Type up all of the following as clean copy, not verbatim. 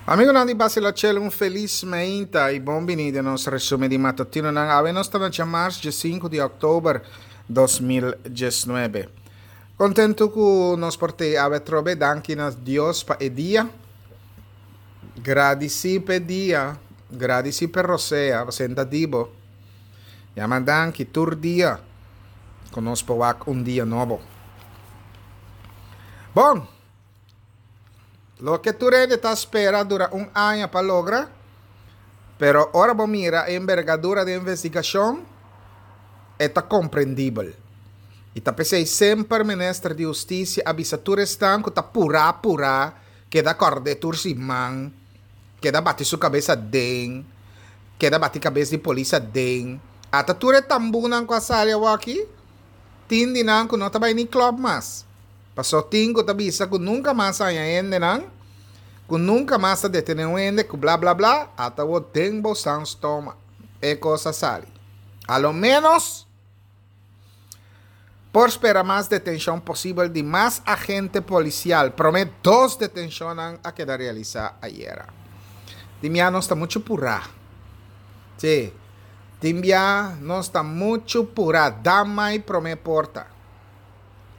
Amigonan di Basila Chel un felis meinta y bon bini den nos resumen di matutinonan. Awe nos ta na djamars dje di october 2019. Contento cu nos por tei awe atrobe. Danki na Dios pa e dia. Gradici p'e dia, gradici p'e rosea, pasobra ta di bo. Yama danki tur dia cu nos por wak un dia nobo. Bon, loke tur hende ta spera dura un aña pa logra, pero ora bo mira e enbergadura di investigacion, e ta comprendibel. Y ta p'esey semper Minister di Husticia a bisa tur esnan cu ta pura pura Keda kòrd'é tur siman, keda bati su kabes aden, keda bati kabes di polis aden. Ata tur e tambúnan ku a sali awòki, tin di nan ku no ta bai ni klòp mas. Pasó tin ku ta bisa ku nunka mas a haña hendenan, ku nunka mas a detené un hende, ku bla bla bla, ata awor den bo san stoma e kos a sali. A lo ménos. Por spera mas detenshon posibel di mas agente polisial. Promé dos detenshonnan a keda realisá ayera. Tin bia nos ta muchu purá. Sí, tin bia nos ta muchu purá. Damai promé porta.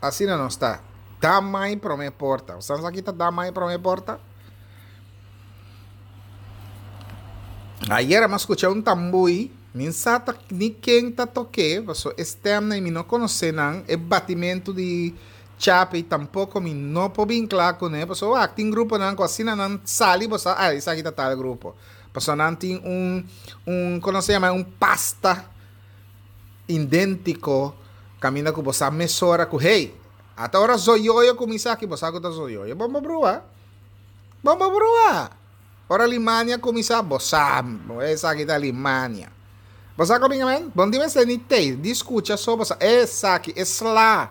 Asina nos ta. Damai promé porta. Bo sa ki ta damai promé porta? Ayera mi a skucha un tambui. Mi sa ta ni ken ta tok'é, paso e stemnan mi no konosé nan, e batimentu di chapi tampoko mi no por bin kla kuné, paso wak tin gruponan ku asina nan sali bo sa ah esaki ta tal grupo, paso nan tin un un kono se yama un pasta indentiko kaminda ku bo sa mesora ku hey ata ora zoyoyo kuminsá aki bo sa ku ta zoyoyo, bon bo brua, bon bo brua. Ora Limania kuminsá, bo sa, esaki ta Limania. Bo sa kominga men? Bo no tin mester ni tei, di skucha so bo sa, esaki, e sla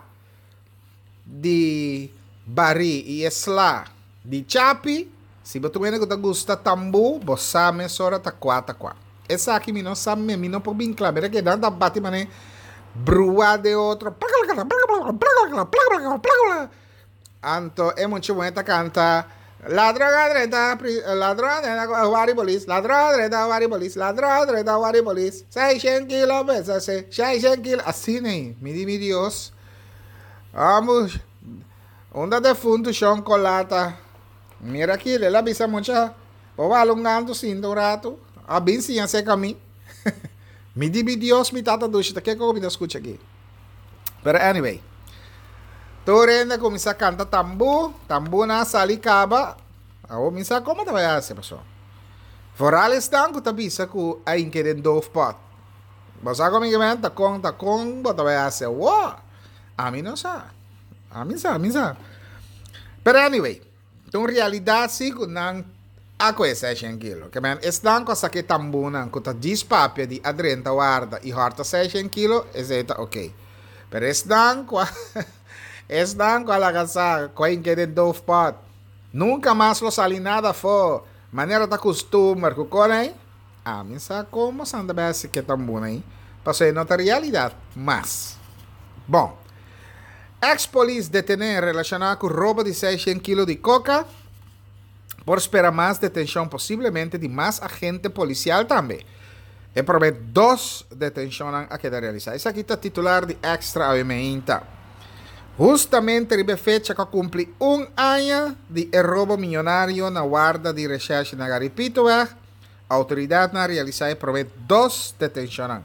di barí i e sla di chapi, si bo ta un hende ku ta gusta tambú, bo sa mesora ta kua ta kua. Esaki mi no sa men, mi no por bin kla, mira ke nan ta bati manera bruá den otro, Anto e mucha muhé ta kanta, Ladron a drenta, ladron a drenta wari polis, ladron a drenta wari polis, ladron a drenta wari polis, seishen kilo pesa se, seishen kilo, asina ei, mi di mi Dios, amo, unda defuntu shon Colata, mira aki, el a bisa mucha, bo wal un gantu sinta un ratu, a bin siña seka mi, mi di mi Dios mi tata dushi, ta kiko ku mi ta skucha aki? Pero anyway, tur hende a kuminsá kanta tambú, tambúnan a sali kaba, awor mi sa komo ta bai hasi paso. Vooral esnan ku ta bisa ku a hinke den doofpot. Bo sa kon mi ke men? Ta kon, ta kon bo ta bai hasi awor? Ami no sa. Ami sa, mi sa. Pero anyway. Ta un realidat si ku nan a kohe seishen kilo. Ke men esnan ku a saka e tambunan ku ta djis papia di a drenta warda i hòrta seishen kilo, esei ta oke. Pero esnan ku a esnan ku a laga sa ku a hink'é den doofpot, nunka mas lo sali nada afó, manera ta kustumber ku kon ei. Ami sa komo Santa Bessy ke tambuna ei, pasobra e no ta realidat mas. Bon. Ex polis detené relashoná ku robo di seishen kilo di koka, por spera mas detenshon posiblemente di mas agente polisial tambe. E promé dos detenshonnan a keda realisá. Esaki ta titular di Extra awe meinta. Hustamente riba e fecha ku a kumpli un aña di e robo miyonario na warda di reshèrshe na Garipitoweg, Autoridadnan a realisá e promé dos detenshonnan.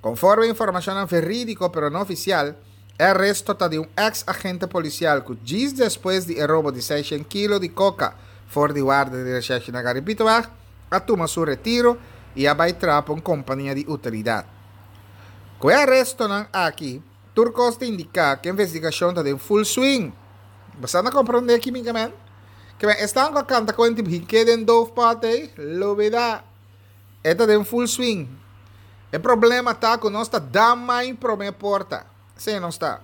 Konforme informashonnan verídiko pero no ofisial, e aresto ta di un eks agente polisial ku djis despues di e robo di seishen kilo di koka for di warda di reshèrshi na Garipitoweg a tuma su retiro i a bai traha pa un kompania di utilidat. Ku e arestonan aki, tur kos ta indiká ku e investigashon ta den full swing. Bo sa na komprondé kimikament? Ke men esnan ku a kanta kuenti hink'é den doofpot ei, lubidá. E ta den full swing. E problema ta ku nos ta damai promé porta. Esei nos ta.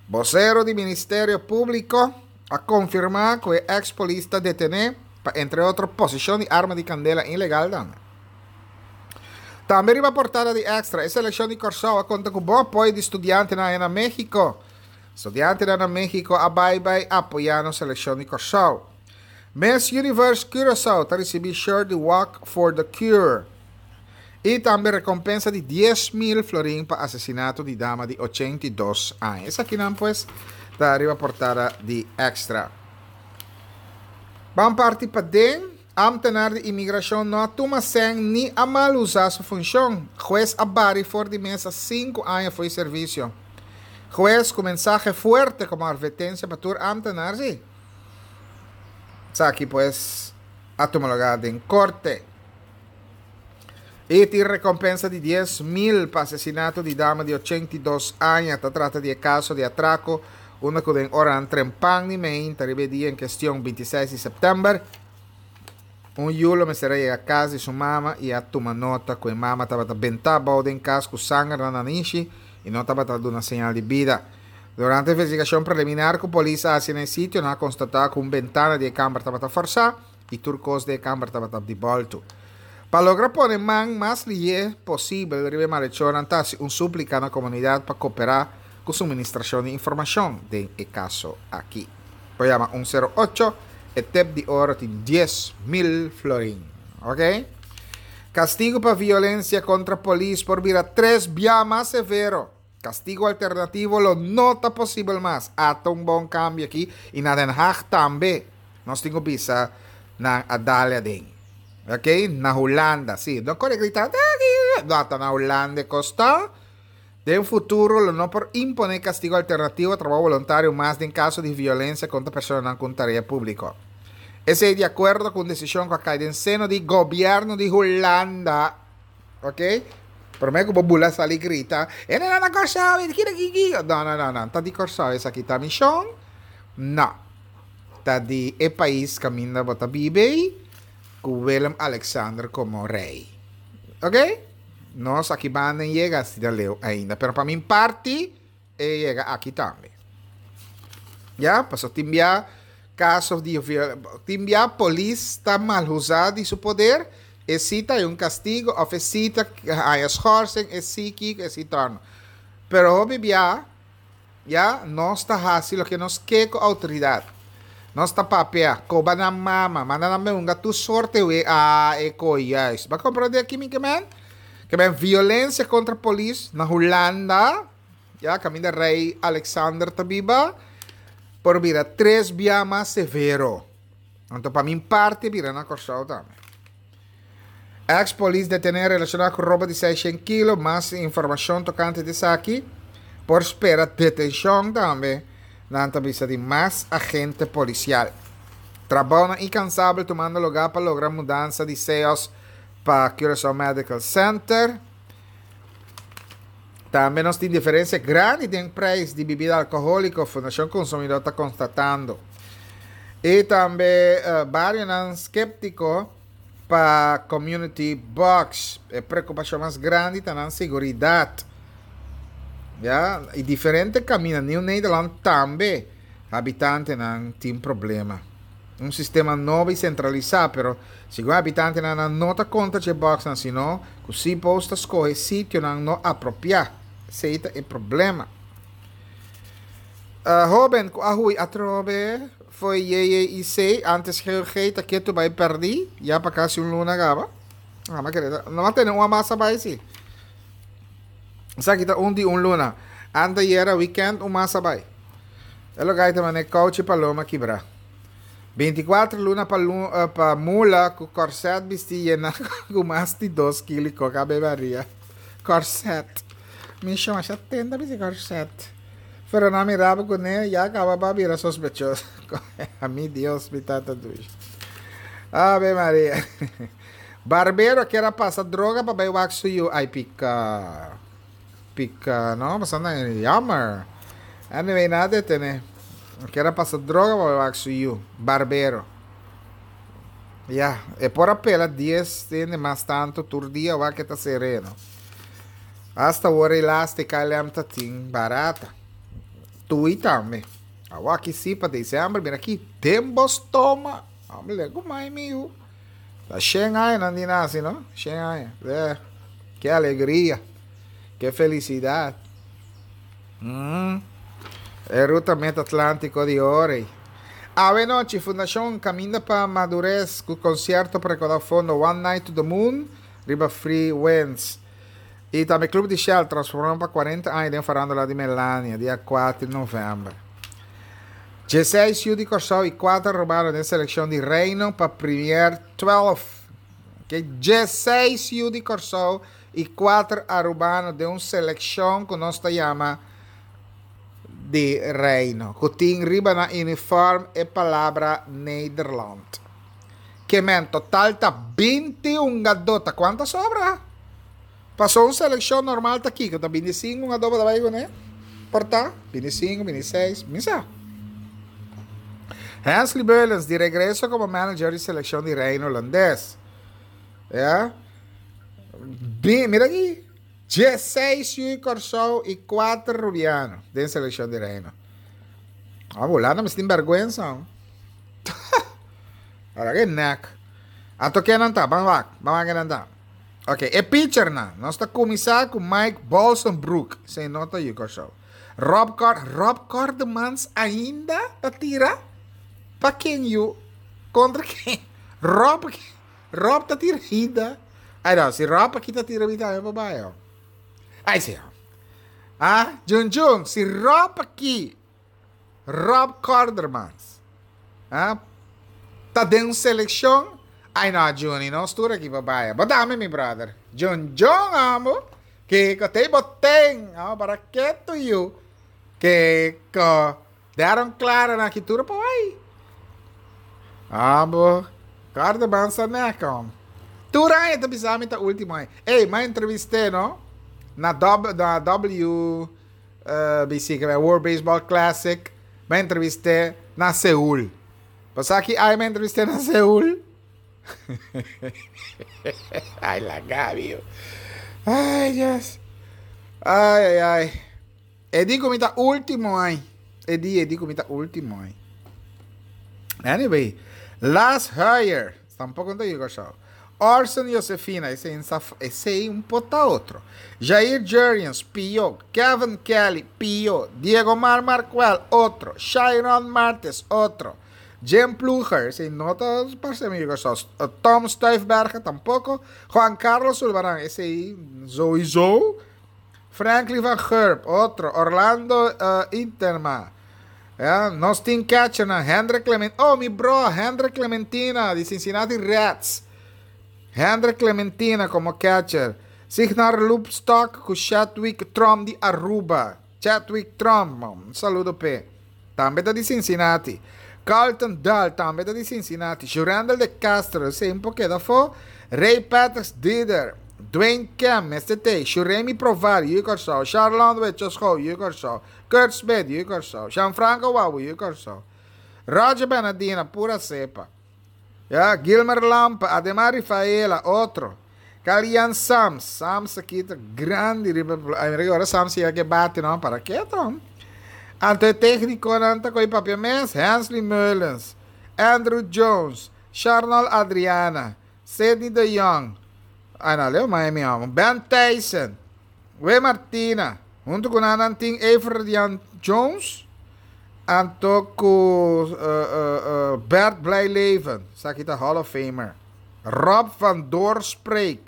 Bosero di Ministerio Públiko a konfirmá ku e eks polis ta detené pa entre otro poseshon di arma di kandela ilegal tambe. Tambe riba portada di Extra, e selekshon di Kòrsou a konta ku bon apoyo di studiantenan aya na México. Studiantenan na Mexico a bai bai apoyá nos selekshon di Kòrsou. Miss Universe Curaçao ta risibí shirt di Walk for the Cure i tambe rekompensa di 10,000 florin pa asesinato di dama di 82 aña. Esakinan pues ta riba portada di Extra. Ban parti paden, Ámtenar di imigrashon no a tuma sèn ni a mal usá su funshon. Hues a bari for di mesa sinku aña fo'i servisio. Hues ku mensahe fuerte komo atvertensia pa tur ámtenar si. Esaki pues a tuma lugá den korte. I tin rekompensa di 10,000 pa asesinato di dama di 82 aña. Ta trata di e kaso di atrako unda ku den oranan trempan di meinta riba e dia en kestion 26 di sèptèmber, un yu lo mester a yega kas di su mama i a tuma nota ku e mama tabata bentá abou den kas ku sanger na nanishi i no tabata duna señal di bida. Durante investigashon preliminar ku polis a hasi na e sitio nan a konstatá ku un bentana di e kamber tabata fòrsá i tur kos den e kamber tabata di bòltu. Pa logra pone man mas lihé posibel riba e malechornan ta hasi un súplika na komunidat pa koperá ku suministrashon di informashon den e kaso aki. Por yama un sero ocho, e tep di oro tin 10,000 florin. Ok? Kastigu pa violensia kontra polis por bira tres bia mas severo. Kastigu alternativo lo no ta posibel mas. Ata un bon kambio aki i na Den Haag tambe nos tin ku bisa nan a dal aden. Ok, na Hulanda, si. No kore grita, no, ta na Hulanda e kos ta. Den futuro lo no por imponé kastigu alternativo, trabou boluntario mas den kaso di violensia kontra personanan ku un tarea públiko. Esei di akuerdo ku un desishon ku a kai den seno di gobièrnu di Hulanda. Ok? Promé ku bo bula sali grita, E no na Kòrsou, e kira ki ki. No, no, no, no. Ta di Kòrsou esaki ta mishon? No. Ta di e pais kaminda bo ta biba ei, ku Willem Alexander komo rei. Ok? Nos aki banda en yega asina leu ainda, pero pa mi parti e yega aki tambe. Ya, paso tin bia caso di tin bia polis ta malhusa di su poder, e si ta un castigo of e si ta haya schorsing, e si kiko, e si torno. Pero hopi bia, ya, nos ta hasi loke nos ke ku autoridad. Nos ta papia, koba nan mama, manda nan hunga tur sorte we, ah, e ko juist. Ba comprende aki mi ke men? Ke men violencia contra polis na Hulanda, ya, kaminda rei Alexander ta biba, por bira tres bia mas severo. Anto pa mi parti bira na Kòrsou tambe. Ex polis detené relashoná ku robo di 600 kilo, mas informashon tokante di esaki, por spera detenshon tambe, nan ta bisa di mas agente polisial. Trabounan inkansabel tumando lugá pa logra mudansa di CEOS pa Curaçao Medical Center. Tambe nos tin diferencia grandi den prijs di bibida alcoholico, Fundacion Consumidor ta constatando. Y tambe barionan skeptico pa community box. E preocupacion mas grandi ta nan seguridad. Ya, y diferente camina, Nieuw Nederland tambe habitantenan tin problema. Un sistema nobo y centralisa, pero segun habitantenan nan no ta conta dje boxnan, sino cu C-Post ta scoge sitionan no apropia. Esey ta e problema. Hoben cu a huy atrobe fo'i JJIC, antes GOG, ta ketu bay perdi, ya pa casi un luna caba. Ah, ma kere, no a tene un amasa bay si. Esaki ta un di un luna. Antayera weekend un masa bay. E loke ta mane kouchi paloma kibra. 24 luna pa, pa mula ku corset bisti yena ku mas di 2 kilo koka Ave Maria. Corset. Mi shon asha tenta bisti corset. Pero na mi rabo kuné ya kaba pa bira sospechoso. Mi Dios mi tata dushi. Ave Maria. Barbero kier a pasa droga pa bai wak su yu. Ay pika. Pika no, pasobra nan jammer. Anyway, nan a detene. Kier a pasa droga pa bai wak su yu. Barbero. Ya, e por a pela 10 hende mas tanto tur dia wak e ta sereno. Hasta awor elastic KLM ta tin barata. Tui tambe. Awor aki si pa december mira aki den bo stoma. Hombre, ku mai mi yu. Ta shen aña nan di nasi, no? Shen aña. Eh, ke alegria. Ke felisidat. Mm. E ruta Mid-Atlántico di ora ei. Awe nochi, Fundashon Kaminda pa Madures ku konsierto pa rekoudá fondo One Night to the Moon riba Free Winds. I tambe Club di Shell transformá pa 40 aña den farándula di Melania, dia 4 di novèmber. 16 yu di Kòrsou i 4 arubano den selekshon di Reino pa Premier 12. Ke 16 yu di Kòrsou i 4 arubano den un selekshon ku nos ta yama di Reino, ku tin riba nan uniform e palabra Nederland. Ke men total ta 20 hungadó, ta kuantu a sobra? Paso un selekshon normal ta kiko? Ta 25 hungadó bo ta bai kuné? Por ta? 25, 26, mi sa. Hensley Meulens di regreso komo manager di selekshon di Reino Holandes. Ya. Bi, mira aki. 16 yu Kòrsou i 4 Rubiano den selekshon di Reino. Ah, Hulanda mester tin bèrgwensa. Ora ke nek. Anto ken nan ta? Ban wak. Ban wak ken nan ta. Ok, e pitchernan. Nos ta kuminsá ku Mike Bolsenbroek. Esei no ta yu Kòrsou. Rob Cor Rob Cordemans ainda ta tira? Pa ken yu? Kontra ken? Rob Rob ta tira ainda? Ai no, si Rob aki ta tira mi tambe pa bai. Ai si. Ah, Jun Jun, si Rob aki Rob Cordermans ah, ta den un seleccion. Ay no, Juni, nos tur aki pa baya. Bo dame, mi brother. Jun Jun, amo. Kiko te bo ten. Amo, para ketu yu. Kiko. Deron Clara na aki tur pa bai. Amo. Cordermans sa nek, om. Tur aña ta bisa mi ta ultimo aña. Ey, m'a entrevisté, no? Na W, na W. BC, ke World Baseball Classic, m'a entrevisté na Seul. Bo sa ki aña m'a entrevisté na Seul? Ay, laga mi. Ay, Dios. Ay, ay, ay. E di ku mi ta último ay. E di, e di ku mi ta último ay. Anyway, Lars Huijer, tampoco no ta yuga show. Orson Josefina, esei esei un por ta otro. Jair Jurrjens, pio. Kevin Kelly, pio. Diego Mar Marquel, otro. Shairon Martes, otro. Jim Ploeger, esei no ta parse mi yuga show. Tom Stuifbergen, tampoco. Juan Carlos Sulbaran, esei sowieso. Franklin van Gurp, otro. Orlando uh, Interma. Ja, nos tin catchernan Hendrik Clement. Oh, mi bro, Hendrik Clementina di Cincinnati Reds. Hendrik Clementina como catcher. Signar Loopstock cu Chadwick Tromp di Aruba. Chadwick Tromp, un saludo pe. Tambe ta di Cincinnati. Carlton Dahl tambe ta di Cincinnati. Jurandel de Castro, esei un por keda afó. Ray Patrick Dider, Dwayne Kemp, mester t'ei. Shuremi Provar, yu Kòrsou. Charlon Wetjoschou, yu Kòrsou. Kurt Smith, yu Kòrsou. Gianfranco Wawu, yu Kòrsou. Roger Bernadina, pura sepa. Ya, Gilmer Lampe, Ademar Rifaela, otro. Kalian Sams, Sams aki ta grandi riba, ay mira ki ora Sams yega ke bate no, para ke to. Anto e teknikonan ta koy papia mes, Hensley Meulens, Andruw Jones, Sharnol Adriana, Sidney de Jong, ay no, leo Miami amo, Ben Thijssen, Wim Martina, hunto ku nan nan tin Everdian Jones, anto ku Bert Blijleven, esaki ta Hall of Famer, Rob van Doorspreek,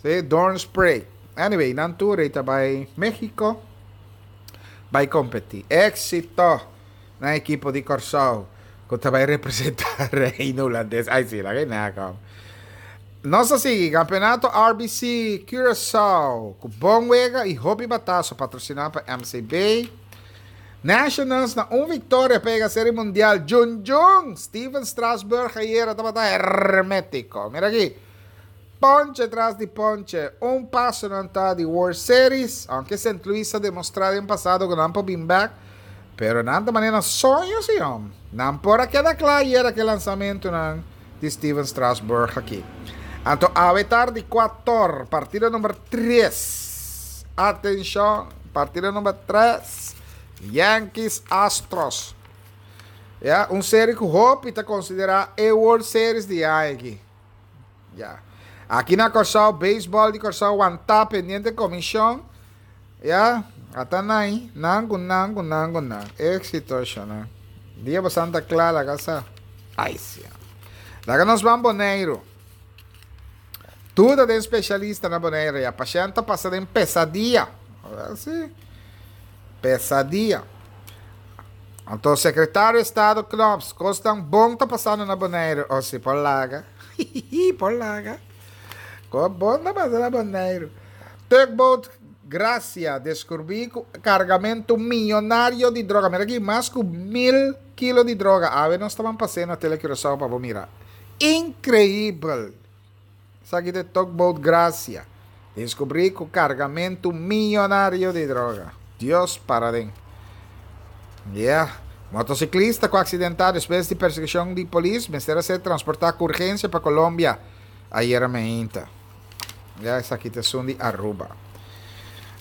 si, Doornspreek. Anyway, nan tur ei ta bai Mexico bai kompetí. Éxito na ekipo di Kòrsou ku ta bai representá Reino Hulandes. Ai si, laga e nèk. Nos a sigui Campeonato RBC Curaçao cu bon wega y hopi bataso patrocina pa MCB. Nationals na un victoria pa yega Serie Mundial. Jun Jun! Stephen Strasburg ayera tabata hermetico. Mira aki. Ponche tras di ponche. Un paso nan ta di World Series. Aunke St. Louis a demostra den pasado cu nan por bin back. Pero nan ta manera soño si hom. Nan por a keda cla ayera cu e lanzamentonan. Di Steven Strasburg aki. Anto awe tardi kuator, partido number tres. Atenshon, partido number tres, Yankees Astros. Ya, un serie ku hopi ta konsiderá e World Series di aña aki. Ya. Aki na Kòrsou, beisbòl di Kòrsou wantá pendiente komishon. Ya, ata nai, nan ku nan ku nan ku nan. Éksito, shona. Dia bo Santa Clara laga sa. Ai sia. Laga nos ban Boneiru. Duda den specialista na Boneiru ya. Pashent ta pasa den pesadia. Si. Pesadia. Anto secretario estado Knops, cosnan bon ta pasando na Boneiru. Oh si, por laga. Por laga. Cos bon ta pasa na Boneiru. Tugboat Gracia descubrí cu cargamento millonario di droga. Mira aki, mas cu mil kilo di droga. Awe nos taban pas'é na Tele Curaçao pa bo mira. Increibel! Esaki ta e Tugboat Gracia. Descubrí cu cargamento millonario di droga. Dios para den. Yeah. Motociclista cu accidentá despues di persecucion di polis mester a ser transportá cu urgencia pa Colombia ayera meinta. Ya esaki ta esun di Aruba.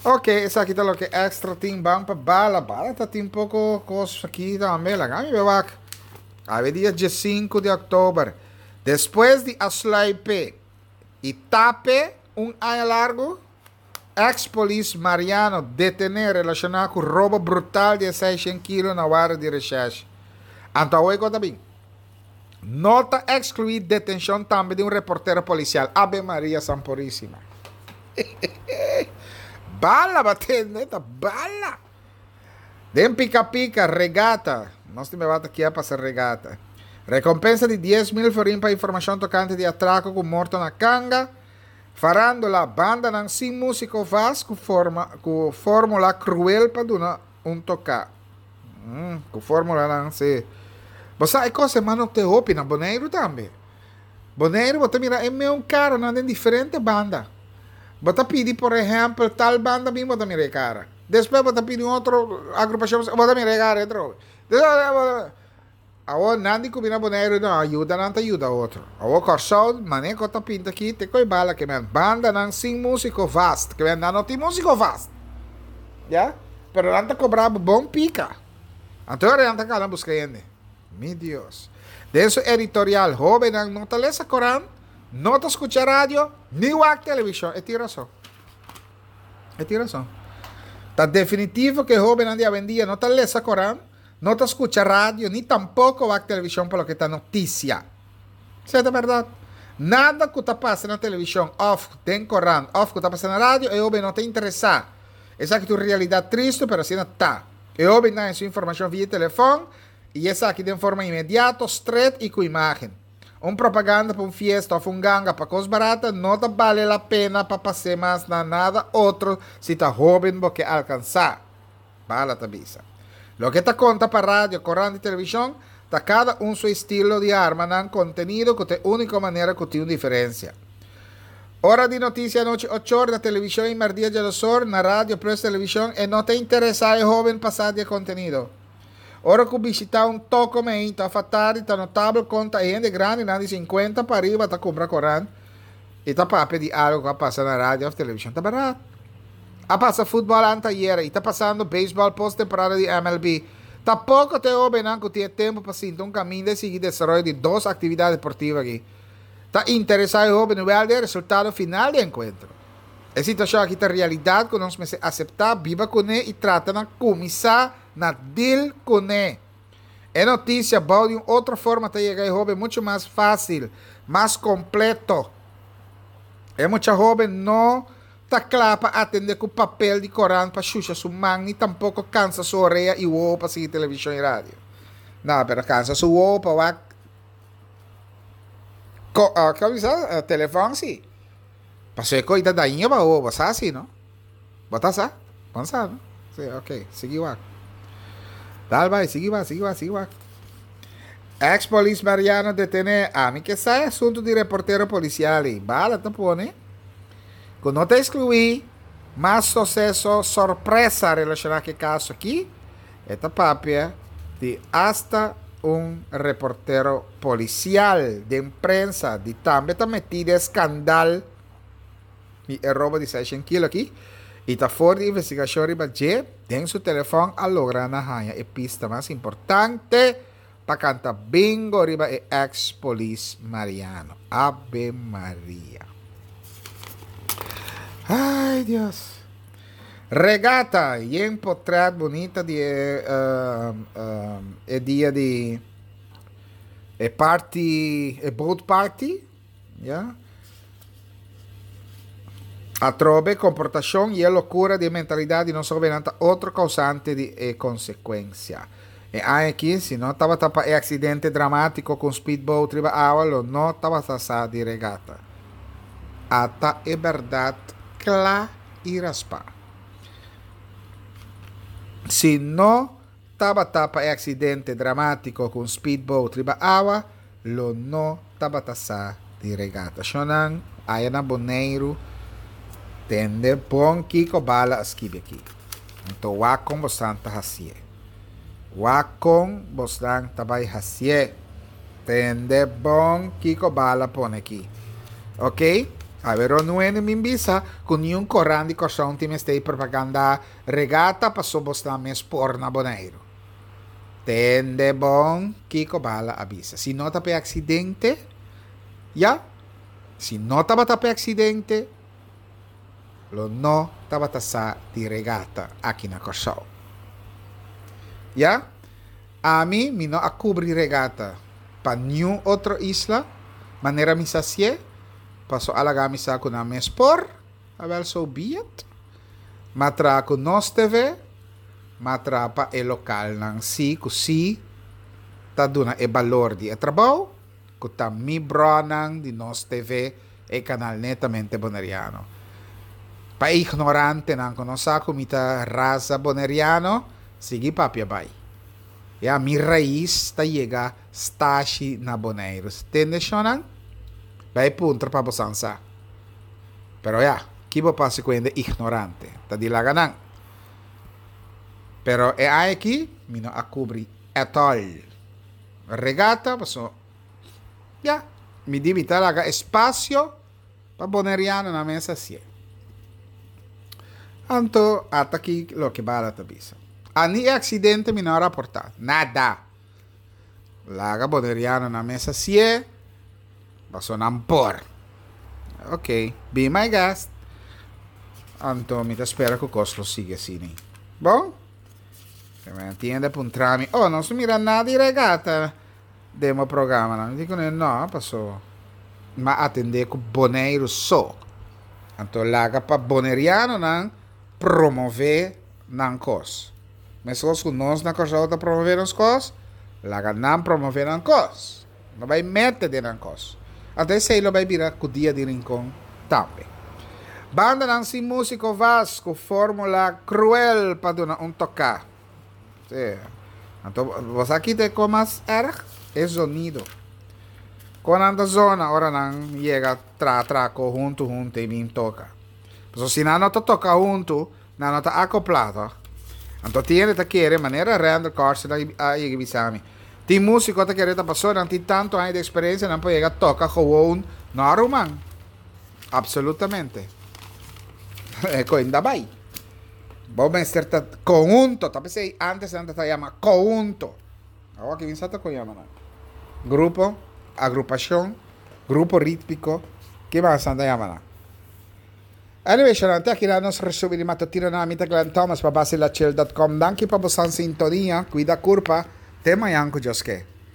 Ok, esaki ta loke extra tin ban pa bala. Bala ta tin poko kos aki tambe. Laga mi be wak. Awe dia diesinku di oktober. Despues di a sluipe i tape un aña largu, ex polis Mariano detene relashoná ku robo brutal di e seishen kilo na warda di reshèrshe. Anto awe ku a ta bin? No ta exclui detencion tambe di un reportero policial. Ave Maria Sanpurisima. Bala ba tende, ta bala. Den pica pica, regata. Nos tin bebata kia pasa regata. Recompensa di 10,000 florin pa informacion tocante di atraco cu morto na Kanga. Farandola, bandanan sin musico vast cu forma, cu formula cruel pa duna un toca. Ku formulanan si. Bo sa e kos hermano te hopi na Boneiru tambe. Boneiru bo ta mira e meun karanan den diferente banda. Bo ta pidi por ehèmpel tal banda bin bo ta mira e kara. Despues bo ta pidi un otro agrupashon bo ta mira e kara otro. Awor nan di ku bini na Boneiru no yuda nan ta yuda otro. Awor Kòrsou manera ku ta pinta aki te koe bala ke men bandanan sin músiko vast ke men nan no tin músiko vast ya pero nan ta kobra bo bon pika anto ora nan ta kala buska hende mi Dios den su editorial hóbennan no ta lesa korant no ta skucha radio ni wak televishon e tin rason e tin rason ta definitivo ku e hóbennan di awendia no ta lesa korant. No ta skucha radio ni tampoko wak televishon pa loke ta notisia. Esei ta bèrdat. Nada ku ta pasa na televishon òf den korant òf ku ta pasa na radio e hóben no ta interesá. Esaki ta un realidat tristu pero asina ta. E hóben ta haña su informashon via telefòn i esaki den forma inmediato, stret i ku imágen. Un propaganda pa un fiesta òf un ganga pa kos barata no ta bale la pena pa pas'é mas na nada otro si ta hóben bo ke alkansá. Bala ta bisa. Loke ta konta pa radio, korant i televishon ta kada un su estilo di arma nan kontenido ku ta e úniko manera ku tin un diferensia. Ora di notisia anochi ochor na televishon i mèrdia djalosor na radio plus televishon e no ta interesá e hóben pa sa di e kontenido. Ora ku bishitá un toko meinta òf atardi ta notabel kon ta e hende grandinan di sinkuenta pa ariba ta kumpra korant i ta papia di algu ku a pasa na radio òf televishon. Ta bèrdat. A pasa futbòl anteayera i ta pasando beisbòl post-temporada di MLB. Ta poko ta e hóbennan ku tin e tempu pa sinta un kaminda i sigui desaroyo di dos aktividat deportivo aki. Ta interesá e hóben wèl den e resultado final di e enkuentro. E situashon aki ta realidat ku nos mester aseptá, biba kuné i trata na kuminsá na dil kuné. E notisia bou di un otro forma ta yega e hóben muchu mas fásil, mas kompleto. E mucha hóben no ta kla pa atendé ku papel di korant pa shusha su man ni tampoko kansa su orea i wowo pa sigui televishon i radio. No, pero kansa su wowo pa wak ko, uh, bisa? Uh, telefòn si. Pasobra e koi ta daño pa wowo, bo sa si, no? Bo ta sa? Bo no sa, no? Si, ok, sigui wak. Dal bai, sigui wak, sigui wak, sigui wak. Ex polis Mariano detené. Ami ke sa e asuntu di reportero polisial ei. Bala ta pone ku no ta ekskluí mas soseso sorpresa relashoná ku e kaso aki. E ta papia di asta un reportero polisial den prensa di tambe ta metí den skandal di e robo di seishen kilo aki i ta for di investigashon riba dje den su telefòn a logra na haña e pista mas importante pa kanta bingo riba e eks polis Mariano. Ave Maria. Ay Dios. Regata, yen potret bunita di e e dia di e party, e boat party, ya. Atrobe komportashon i e lokura di e mentalidat di nos hobennan ta otro kousante di e konsekuensia. E aña aki, si no tabata pa e aksidente dramátiko ku un speedboat riba awa lo no tabata sa di regata. Ata e bèrdat kla i raspá. Si no tabata pa e aksidente dramátiko ku un speedboat riba awa, lo no tabata sa di regata. Shonnan, aya na Boneiru, tende bon kiko Bala a skibi aki. Anto wak kon bosnan ta hasié. Wak kon bosnan ta bai hasié. Tende bon kiko Bala pone aki. Ok? Awero nuene min bisa ku niun koran di Kòrsou tin mester propaganda regata paso bosnan mes por na Boneiru. Tende bon kiko Bala a bisa. Si no ta p'e aksidente, ya, si no tabata p'e aksidente, lo no tabata sa di regata aki na Kòrsou. Ya, ami mi no a kubri regata pa niun otro isla manera mi sa sié, paso a laga mi sa ku nan mes por. Awel so be it. Ma traha ku nos TV, ma traha pa e lokalnan si ku si ta duna e balor di e trabou, ku ta mi bronan di nos TV, e kanal netamente boneriano. Pa e ignorantenan ku no sa ku mi ta rasa boneriano, sigui papia bai. Ya, mi rais ta yega stashi na Boneiru. Tende shonnan? Bai puntra pa bosan sa. Pero ya, ki bo pasa ku hende ignorante? Ta di laga nan. Pero e aña aki mi no a kubri at all. Regata paso ya, mi di mi ta laga espasio pa bonerianonan mes hasié. Anto ata aki loke Bala ta bisa. Ani e aksidente mi no a raportá. Nada. Laga bonerianonan mes hasié. Paso nan por. Ok, be my guest. Anto mi ta spera ku kos lo sigui asina. Bon? Te me atiende puntra mi, oh, nos no mira nada di regata den bo programa nan. Mi di kuné, no, paso m'a atendé ku Boneiru so. Anto laga pa bonerianonan promové nan kos. Meskos ku nos na Kòrsou ta promové nos kos, laga nan promové nan kos. No bai mete den nan kos. Anto esei lo bai bira ku dia di Rincon tambe. Bandanan sin músiko vas ku fórmula kruel pa duna un toká. Sí. Anto bo sa kita e ko mas erg? E zonido. Kon nan ta zona ora nan yega tra tra ko huntu huntu i bin toka. Pasobra si nan no ta toka huntu, Nan no ta acoplá toch? Anto tin hende ta kere, manera Randall Carson a yega bisa mi, tin músico ta kere ta paso nan tin tanto aña di experiencia nan por yega toca gewoon, no ruman, absolutamente. E coinda bay. Bo mester ta conhunto, ta pesey antes nan ta yama conhunto. Awor aki mi sa ta con yama nan. Grupo, agrupacion, grupo ritmico, ki mas nan ta yama nan? Anyway, Sharon, te aki na nos resumen di matutino na mi ta Glenn Thomas pa Basilachel dot com. Danki pa bosan sintonia. Cuida curpa. Te mañan cu Dios ke.